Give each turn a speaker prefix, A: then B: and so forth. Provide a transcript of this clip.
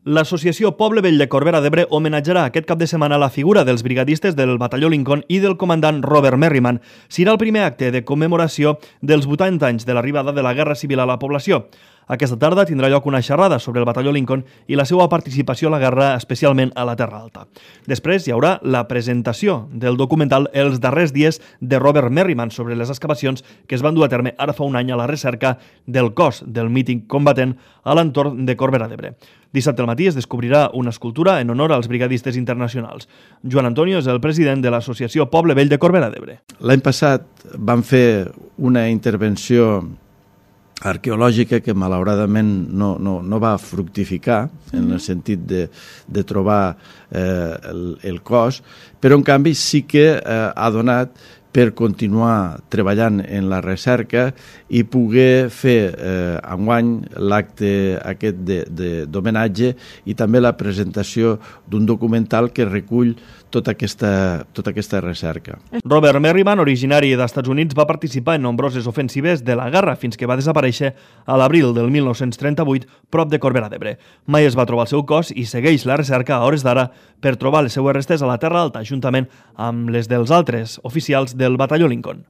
A: L'associació Poble Vell de Corbera d'Ebre homenatjarà aquest cap de setmana la figura dels brigadistes del batalló Lincoln i del comandant Robert Merriman. Serà el primer acte de commemoració dels 80 anys de l'arribada de la Guerra Civil a la població. Aquesta tarda tindrà lloc una xerrada sobre el batalló Lincoln i la seva participació a la guerra, especialment a la Terra Alta. Després hi haurà la presentació del documental Els darrers dies de Robert Merriman sobre les excavacions que es van dur a terme ara fa un any a la recerca del cos del mític combatent a l'entorn de Corbera d'Ebre. Dissabte al matí es descobrirà una escultura en honor als brigadistes internacionals. Joan Antonio és el president de l'associació Poble Vell de Corbera d'Ebre.
B: L'any passat vam fer una intervenció arqueològica que malauradament no va fructificar en el sentit de trobar el cos, però en canvi sí que ha donat per continuar treballant en la recerca i poder fer enguany l'acte aquest d'homenatge i també la presentació d'un documental que recull tota aquesta recerca.
A: Robert Merriman, originari dels Estats Units, va participar en nombroses ofensives de la guerra fins que va desaparèixer a l'abril del 1938 prop de Corbera d'Ebre. Mai es va trobar el seu cos i segueix la recerca a hores d'ara per trobar les seues restes a la Terra Alta, juntament amb les dels altres oficials del batalló Lincoln.